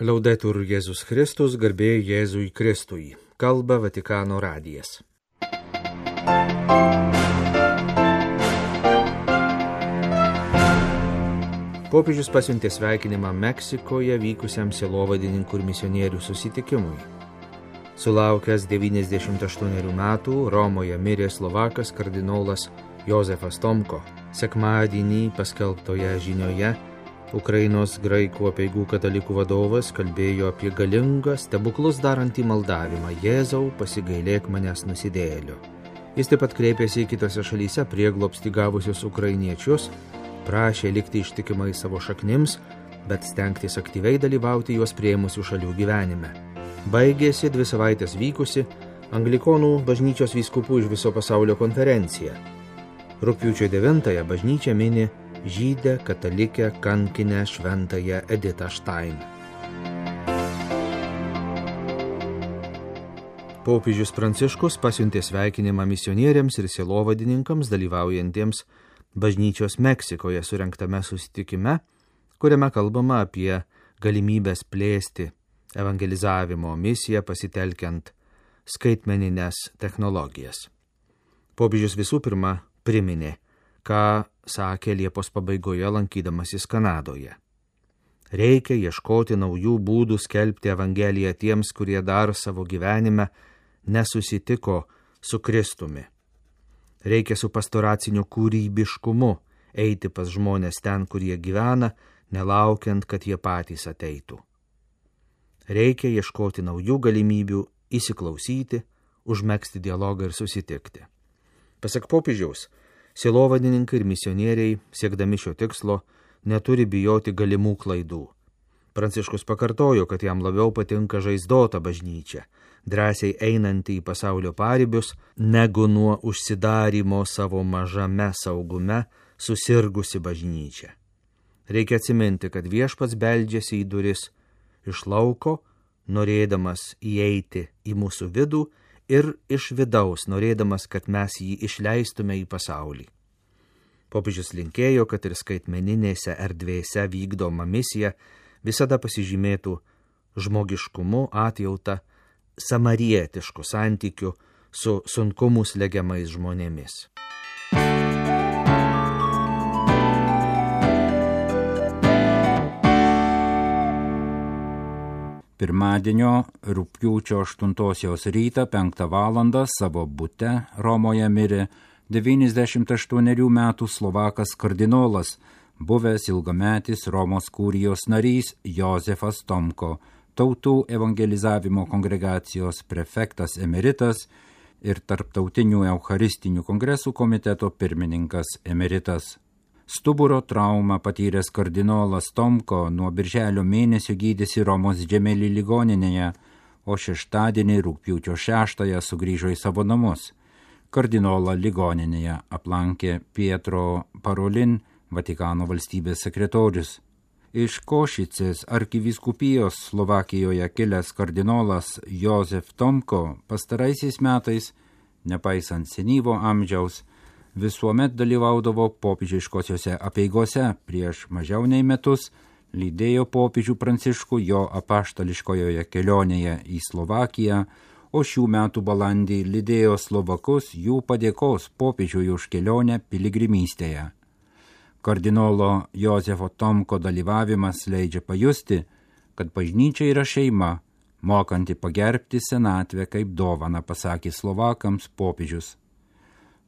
Laudetur Jėzus Kristus, garbė Jėzui Kristui. Kalba Vatikano radijas. Popiežius pasiuntė sveikinimą Meksikoje vykusiam sielovadininkų ir misionierių susitikimui. Sulaukęs 98 metų Romoje mirė Slovakas kardinolas Jozefas Tomko. Sekmadienį paskelbtoje žinioje Ukrainos graikų apeigų katalikų vadovas kalbėjo apie galingą, stebuklus darantį maldavimą: Jėzau, pasigailėk manęs nusidėjėlio. Jis taip pat kreipėsi į kitose šalyse prieglobstį gavusius ukrainiečius, prašė likti ištikimai savo šaknims, bet stengtis aktyviai dalyvauti juos priėmusių šalių gyvenime. Baigėsi 2 savaitės vykusi Anglikonų bažnyčios vyskupų iš viso pasaulio konferencija. Rugpjūčio 9 bažnyčia mini žydę katalikę kankinę šventąją Editą Štain. Popiežius Pranciškus pasiuntė sveikinimą misionieriams ir sielovadininkams dalyvaujantiems bažnyčios Meksikoje surengtame susitikime, kuriame kalbama apie galimybės plėsti evangelizavimo misiją pasitelkiant skaitmenines technologijas. Popiežius visų pirma priminė, ką sakė Liepos pabaigoje lankydamasis Kanadoje. Reikia ieškoti naujų būdų skelbti Evangeliją tiems, kurie dar savo gyvenime nesusitiko su Kristumi. Reikia su pastoraciniu kūrybiškumu eiti pas žmonės ten, kur jie gyvena, nelaukiant, kad jie patys ateitų. Reikia ieškoti naujų galimybių įsiklausyti, užmegzti dialogą ir susitikti. Pasak popiežiaus, sielovadininkai ir misionieriai, siekdami šio tikslo, neturi bijoti galimų klaidų. Pranciškus pakartojo, kad jam labiau patinka žaizdota bažnyčia, drąsiai einanti į pasaulio paribius, negu nuo užsidarymo savo mažame saugume susirgusi bažnyčia. Reikia atsiminti, kad Viešpats beldžiasi į duris iš lauko, norėdamas įeiti į mūsų vidų, ir iš vidaus, norėdamas, kad mes jį išleistume į pasaulį. Popiežius linkėjo, kad ir skaitmeninėse erdvėse vykdoma misija visada pasižymėtų žmogiškumu, atjauta, samarietišku santykiu su sunkumus slegiamais žmonėmis. Pirmadienio rugpjūčio 8 rytą 5 valandą savo bute Romoje mirė 98 metų Slovakas kardinolas, buvęs ilgametis Romos kurijos narys Jozefas Tomko, tautų evangelizavimo kongregacijos prefektas emeritas ir tarptautinių eucharistinių kongresų komiteto pirmininkas emeritas. Stuburo traumą patyręs kardinolas Tomko nuo birželio mėnesio gydėsi Romos Džemeli ligoninėje, o šeštadienį rugpjūčio 6 sugrįžo į savo namus. Kardinolą ligoninėje aplankė Pietro Parolin, Vatikano valstybės sekretorius. Iš Košicės arkivyskupijos Slovakijoje kilęs kardinolas Jozef Tomko pastaraisiais metais, nepaisant senyvo amžiaus, visuomet dalyvaudavo popiežiškosiose apeigose. Prieš mažiau nei metus lydėjo popiežių Pranciškų jo apaštališkojoje kelionėje į Slovakiją, o šių metų balandį lydėjo Slovakus jų padėkos popiežiui už kelionę piligrimystėje. Kardinolo Jozefo Tomko dalyvavimas leidžia pajusti, kad bažnyčia yra šeima, mokanti pagerbti senatvę kaip dovaną, pasakė Slovakams popiežius.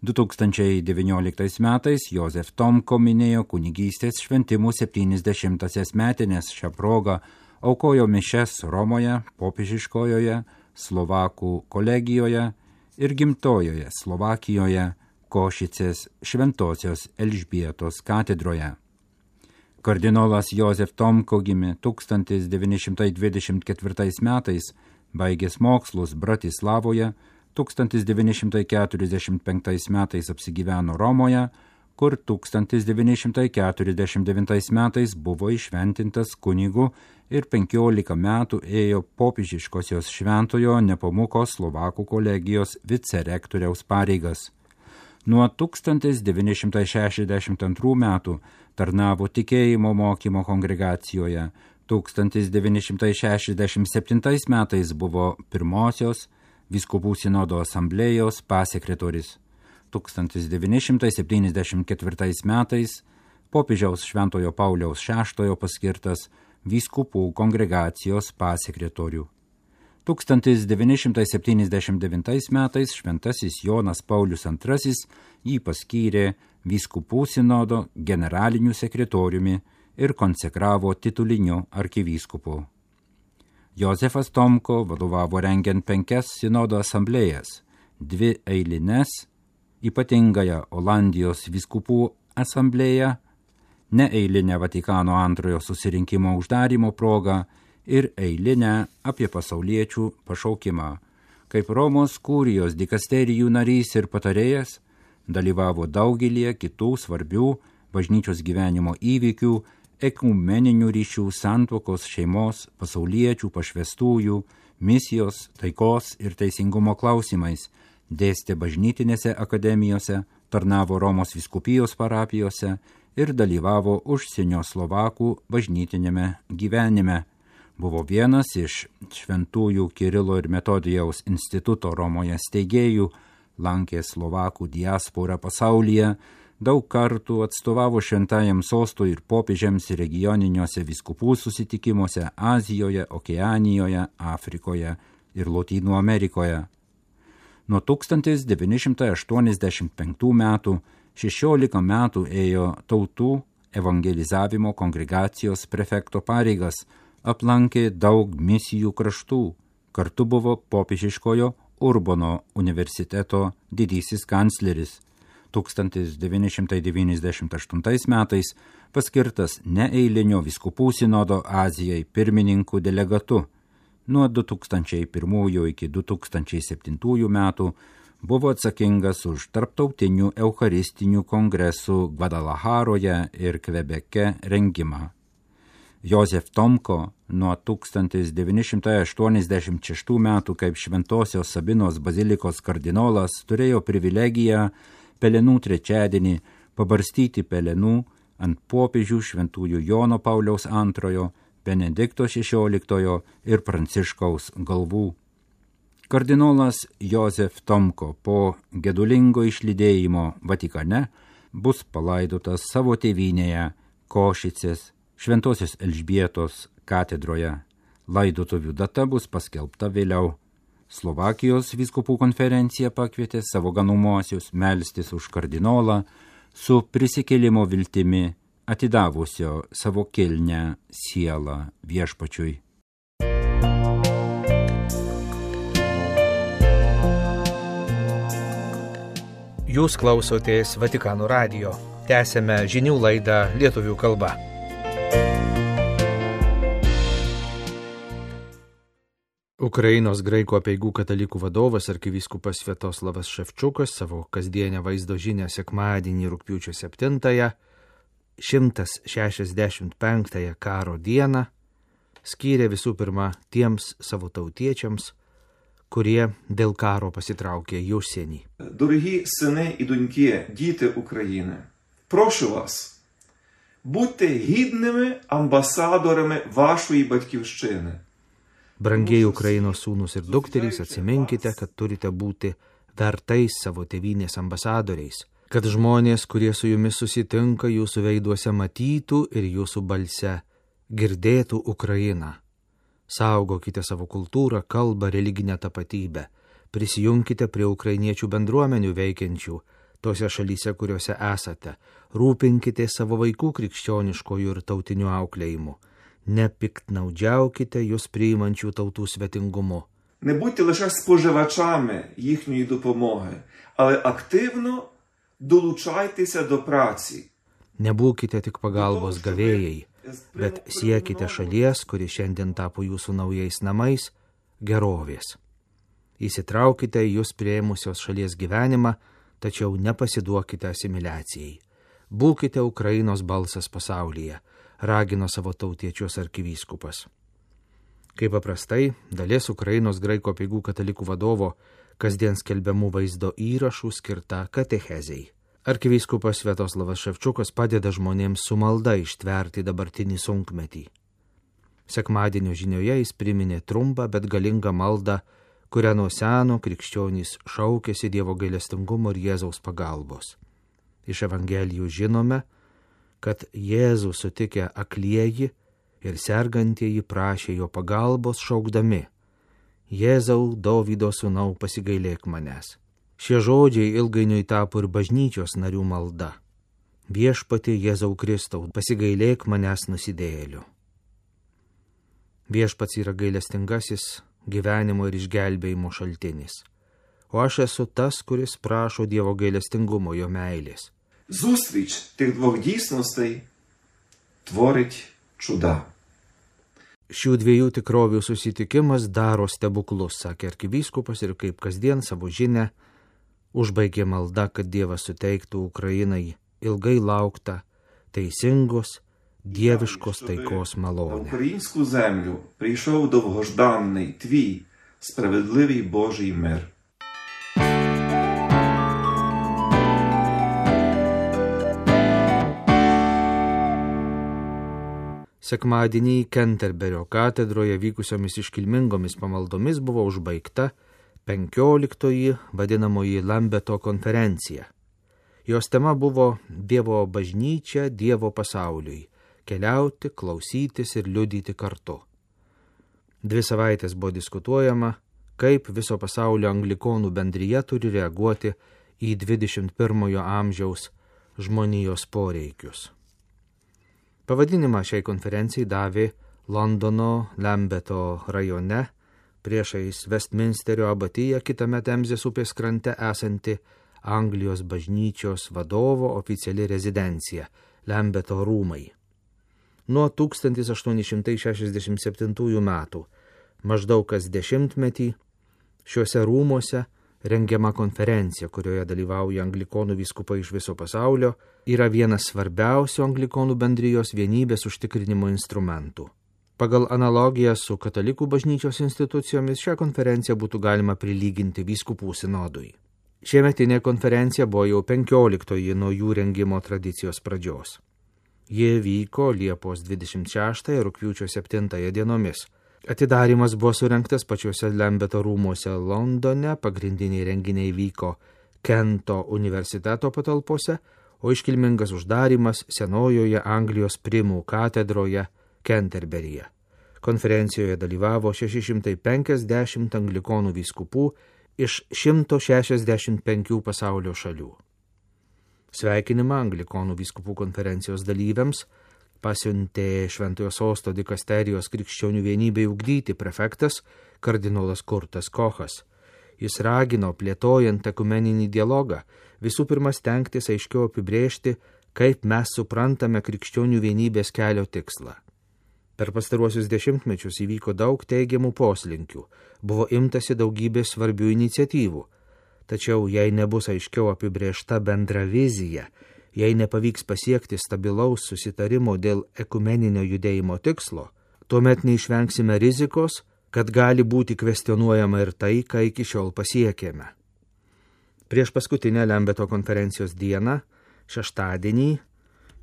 2019 metais Jozef Tomko minėjo kunigystės šventimų 70-asias metinės. Šią progą aukojo mišias Romoje, popiežiškojoje, Slovakų kolegijoje ir gimtojoje Slovakijoje, Košicės Šventosios Elžbietos katedroje. Kardinolas Jozef Tomko gimė 1924 metais, baigęs mokslus Bratislavoje, 1945 metais apsigyveno Romoje, kur 1949 metais buvo įšventintas kunigu ir 15 metų ėjo popiežiškosios Šventojo Nepomuko Slovakų kolegijos vicerektoriaus pareigas. Nuo 1962 metų tarnavo tikėjimo mokymo kongregacijoje, 1967 metais buvo pirmosios vyskupų sinodo asamblėjos pasekretorius. 1974 metais popiežiaus Šventojo Pauliaus VI paskirtas vyskupų kongregacijos pasekretorių. 1979 metais šventasis Jonas Paulius II jį paskyrė vyskupų sinodo generaliniu sekretoriumi ir konsekravo tituliniu arkivyskupu. Jozefas Tomko vadovavo rengiant 5 sinodo asamblėjas, 2 eilines, ypatingąją Olandijos vyskupų asamblėją, neeilinę Vatikano antrojo susirinkimo uždarymo progą ir eilinę apie pasauliečių pašaukimą. Kaip Romos kurijos dikasterijų narys ir patarėjas, dalyvavo daugelį kitų svarbių bažnyčios gyvenimo įvykių, ekumeninių ryšių, santuokos, šeimos, pasauliečių, pašvestųjų, misijos, taikos ir teisingumo klausimais, dėstė bažnytinėse akademijose, tarnavo Romos vyskupijos parapijose ir dalyvavo užsienio slovakų bažnytinėme gyvenime. Buvo vienas iš šventųjų Kirilo ir Metodijaus instituto Romoje steigėjų, lankė slovakų diasporą pasaulyje, daug kartų atstovavo šventajam sostui ir popiežiams regioniniuose vyskupų susitikimuose Azijoje, Okeanijoje, Afrikoje ir Lotynų Amerikoje. Nuo 1985 metų 16 metų ėjo tautų evangelizavimo kongregacijos prefekto pareigas, aplankė daug misijų kraštų, kartu buvo popiežiškojo Urbono universiteto didysis kancleris. 1998 metais paskirtas neeilinio vyskupų sinodo Azijai pirmininkų delegatu. Nuo 2001 iki 2007 metų buvo atsakingas už tarptautinių eucharistinių kongresų Gvadalacharoje ir Kvebeke rengimą. Jozef Tomko nuo 1986 metų kaip Šventosios Sabinos bazilikos kardinolas turėjo privilegiją Pelenų trečiadienį pabarstyti pelenų ant popiežių šventųjų Jono Pauliaus II, Benedikto XVI ir Pranciškaus galvų. Kardinolas Jozef Tomko po gedulingo išlydėjimo Vatikane bus palaidotas savo tėvynėje Košicės Šventosios Elžbietos katedroje. Laidotuvių data bus paskelbta vėliau. Slovakijos vyskupų konferencija pakvietė savo ganumuosius melstis už kardinolą su prisikėlimo viltimi atidavusio savo kilnią sielą viešpačiui. Jūs klausotės Vatikano radijo. Tęsėme žinių laidą lietuvių kalba. Ukrainos graikų apeigų katalikų vadovas arkivyskupas Sviatoslavas Ševčiukas savo kasdienę vaizdo žinią sekmadienį rugpjūčio 7-ąją, 165-ąją karo dieną, skyrė visų pirma tiems savo tautiečiams, kurie dėl karo pasitraukė į užsienį. Дорогі сини і доньки, діти України, прошу вас, будьте гідними амбасадорами вашої батьківщини. Brangieji Ukrainos sūnus ir dukterys, atsiminkite, kad turite būti vertais savo tėvynės ambasadoriais, kad žmonės, kurie su jumis susitinka, jūsų veiduose matytų ir jūsų balse girdėtų Ukrainą. Saugokite savo kultūrą, kalbą, religinę tapatybę. Prisijunkite prie ukrainiečių bendruomenių veikiančių tose šalyse, kuriuose esate. Rūpinkite savo vaikų krikščioniškojų ir tautinių auklėjimų. Nepiktnaudžiaukite jūs priimančių tautų svetingumu. Не будьте лише споживачами їхньої допомоги, але активно долучайтеся до праці. Nebūkite tik pagalbos gavėjai, bet siekite šalies, kuri šiandien tapo jūsų naujais namais, gerovės. Įsitraukite į jūs priėmusios šalies gyvenimą, tačiau nepasiduokite asimiliacijai. Būkite Ukrainos balsas pasaulyje, ragino savo tautiečius arkivyskupas. Kaip paprastai, dalis Ukrainos graikų apeigų katalikų vadovo kasdien skelbiamų vaizdo įrašų skirta katechezei. Arkivyskupas Sviatoslavas Ševčiukas padeda žmonėms su malda ištverti dabartinį sunkmetį. Sekmadienio žinioje jis priminė trumpą, bet galingą maldą, kurią nuo seno krikščionys šaukėsi Dievo gailestingumo ir Jėzaus pagalbos. Iš Evangelijų žinome, kad Jėzų sutikę aklieji ir sergantieji prašė jo pagalbos šaukdami: Jėzau, Dovydo sūnau, pasigailėk manęs. Šie žodžiai ilgainiui tapo ir bažnyčios narių malda: Viešpatie Jėzau Kristau, pasigailėk manęs nusidėjėliu. Viešpats yra gailestingasis gyvenimo ir išgelbėjimo šaltinis, o aš esu tas, kuris prašo Dievo gailestingumo, jo meilės. Зустріч тих двох дійсностей творить чуда. Šių dviejų tikrovių susitikimas daro stebuklus, sakė arkivyskupas, ir kaip kasdien savo žinią užbaigė malda, kad Dievas suteiktų Ukrainai ilgai lauktą, teisingos, dieviškos taikos На malonę. українську землю прийшов довгожданий твій справедливий Божий мир. Sekmadienį Kenterberio katedroje vykusiomis iškilmingomis pamaldomis buvo užbaigta 15-oji vadinamoji Lambeto konferencija. Jos tema buvo Dievo bažnyčia Dievo pasauliui – keliauti, klausytis ir liudyti kartu. 2 savaitės buvo diskutuojama, kaip viso pasaulio anglikonų bendrija turi reaguoti į 21 amžiaus žmonijos poreikius. Pavadinimą šiai konferencijai davė Londono Lambeto rajone, priešais Westminsterio abatiją kitame Temzės upės krante esanti Anglijos bažnyčios vadovo oficiali rezidencija – Lambeto rūmai. Nuo 1867 metų, maždaug kas dešimtmetį, šiuose rūmuose rengiama konferencija, kurioje dalyvauja anglikonų vyskupai iš viso pasaulio, yra vienas svarbiausių anglikonų bendrijos vienybės užtikrinimo instrumentų. Pagal analogiją su katalikų bažnyčios institucijomis šią konferenciją būtų galima prilyginti vyskupų sinodui. Šiemetinė konferencija buvo jau 15-oji nuo jų rengimo tradicijos pradžios. Ji vyko Liepos 26 ir rugpjūčio 7 dienomis. Atidarimas buvo surengtas pačiuose Lambeto rūmuose Londone, pagrindiniai renginiai vyko Kento universiteto patalpose, o iškilmingas uždarimas senojoje Anglijos primų katedroje Kenterberyje. Konferencijoje dalyvavo 650 anglikonų vyskupų iš 165 pasaulio šalių. Sveikinimą anglikonų vyskupų konferencijos dalyviams pasiuntė Šventojo Sosto dikasterijos krikščionių vienybei ugdyti prefektas kardinolas Kurtas Kochas. Jis ragino, plėtojant ekumeninį dialogą, visų pirma stengtis aiškiau apibrėžti, kaip mes suprantame krikščionių vienybės kelio tikslą. Per pastaruosius dešimtmečius įvyko daug teigiamų poslinkių, buvo imtasi daugybės svarbių iniciatyvų, tačiau jei nebus aiškiau apibrėžta bendra vizija, jei nepavyks pasiekti stabilaus susitarimo dėl ekumeninio judėjimo tikslo, tuomet neišvengsime rizikos, kad gali būti kvestionuojama ir tai, ką iki šiol pasiekėme. Prieš paskutinę Lambeto konferencijos dieną, šeštadienį,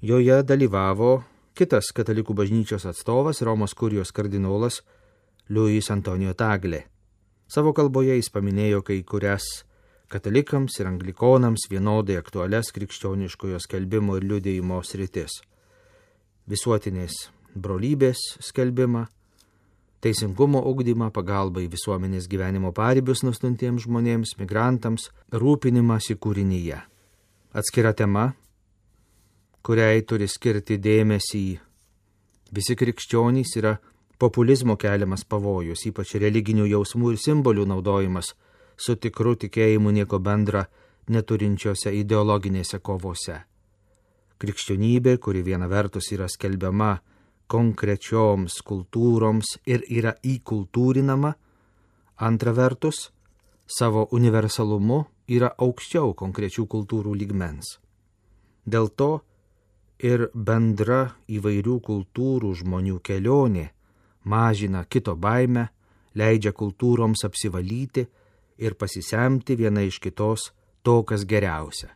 joje dalyvavo kitas katalikų bažnyčios atstovas, Romos kurijos kardinolas Luis Antonio Tagle. Savo kalboje jis paminėjo kai kurias katalikams ir anglikonams vienodai aktualias krikščioniškojo skelbimo ir liudijimo sritis. Visuotinės brolybės skelbimą, teisingumo ugdymą, pagalbą į visuomenės gyvenimo paribius nustuntiems žmonėms, migrantams, rūpinimąsi kūrinyje. Atskira tema, kuriai turi skirti dėmesį visi krikščionys, yra populizmo keliamas pavojus, ypač religinių jausmų ir simbolių naudojimas su tikru tikėjimu nieko bendra neturinčiose ideologinėse kovose. Krikščionybė, kuri viena vertus yra skelbiama konkrečioms kultūroms ir yra įkultūrinama, antra vertus, savo universalumu yra aukščiau konkrečių kultūrų lygmens. Dėl to ir bendra įvairių kultūrų žmonių kelionė mažina kito baimę, leidžia kultūroms apsivalyti ir pasisemti viena iš kitos to, kas geriausia.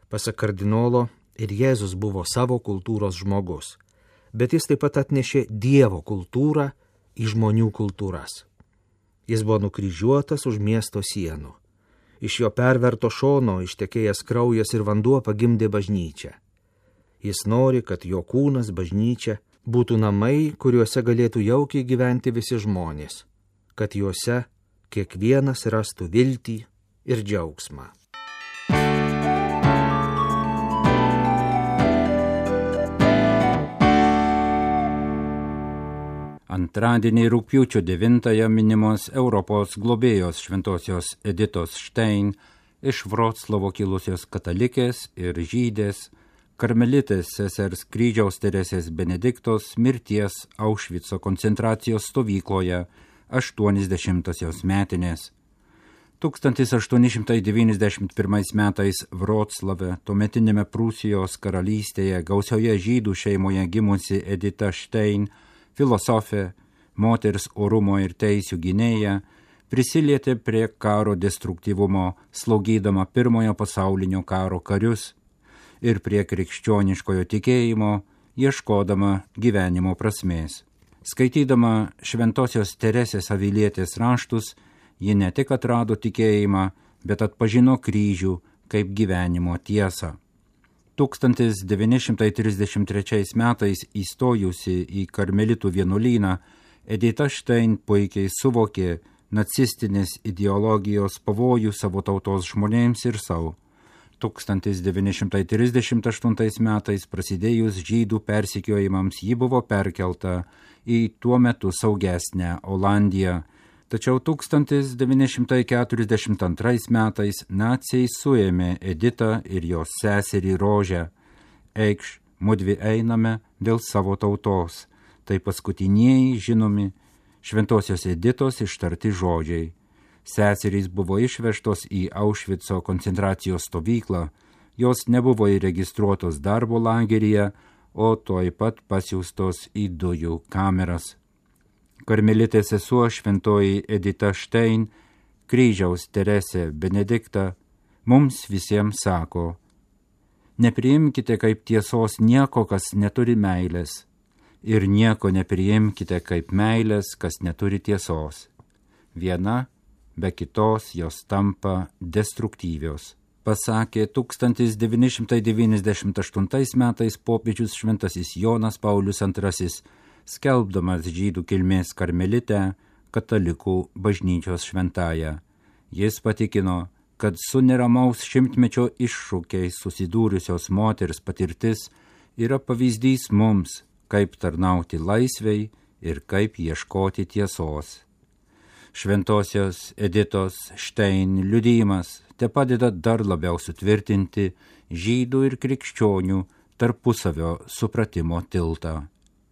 Pasak kardinolo, ir Jėzus buvo savo kultūros žmogus, bet jis taip pat atnešė Dievo kultūrą į žmonių kultūras. Jis buvo nukryžiuotas už miesto sienų. Iš jo perverto šono ištekėjęs kraujas ir vanduo pagimdė bažnyčią. Jis nori, kad jo kūnas, bažnyčia, būtų namai, kuriuose galėtų jaukiai gyventi visi žmonės, kad juose kiekvienas rastų viltį ir džiaugsmą. Antradienį rugpjūčio 9 minimos Europos globėjos šventosios Editos Štein iš Vroclavo kilusios katalikės ir žydės, karmelitės sesers Kryžiaus Teresės Benediktos mirties Aušvico koncentracijos stovykloje 80-osios metinės. 1891 metais Vroclave, tuometinėme Prūsijos karalystėje, gausioje žydų šeimoje gimusi Edita Štein, filosofė, moters orumo ir teisių gynėja, prisilietė prie karo destruktyvumo, slaugydama Pirmojo pasaulinio karo karius ir prie krikščioniškojo tikėjimo, ieškodama gyvenimo prasmės. Skaitydama šventosios Teresės Avilietės raštus, ji ne tik atrado tikėjimą, bet atpažino kryžių kaip gyvenimo tiesą. 1933 metais įstojusi į karmelitų vienuolyną, Edita Štein puikiai suvokė nacistinės ideologijos pavojų savo tautos žmonėms ir savo. 1938 metais prasidėjus žydų persekiojimams ji buvo perkelta į tuo metu saugesnę Olandiją, tačiau 1942 metais naciai suėmė Editą ir jos seserį Rožę. Eikš, mudvi einame dėl savo tautos. Tai paskutinieji žinomi šventosios Editos ištarti žodžiai. Seserys buvo išvežtos į Aušvico koncentracijos stovyklą, jos nebuvo įregistruotos darbo lageryje, o tuoj pat pasiųstos į dujų kameras. Karmelitė sesuo šventoji Edita Štein, Kryžiaus Teresė Benedikta, mums visiems sako: nepriimkite kaip tiesos nieko, kas neturi meilės, ir nieko nepriimkite kaip meilės, kas neturi tiesos. Viena be kitos jos tampa destruktyvios, pasakė 1998 metais popiežius šventasis Jonas Paulius II, skelbdamas žydų kilmės karmelitę katalikų bažnyčios šventąją. Jis patikino, kad su neramaus šimtmečio iššūkiais susidūrusios moters patirtis yra pavyzdys mums, kaip tarnauti laisvei ir kaip ieškoti tiesos. Šventosios Editos Štein liudijimas te padeda dar labiau sutvirtinti žydų ir krikščionių tarpusavio supratimo tiltą.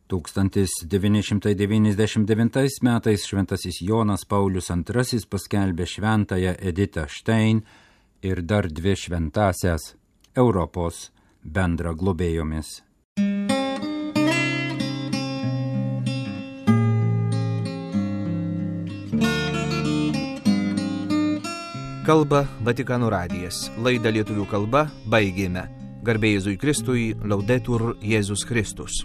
1999 metais šventasis Jonas Paulius II paskelbė šventąją Editą Štein ir dar dvi šventąsias Europos bendra globėjomis. Kalba Vatikano radijas. Laidą lietuvių kalba baigėme. Garbė Jėzui Kristui, Laudetur Jėzus Kristus.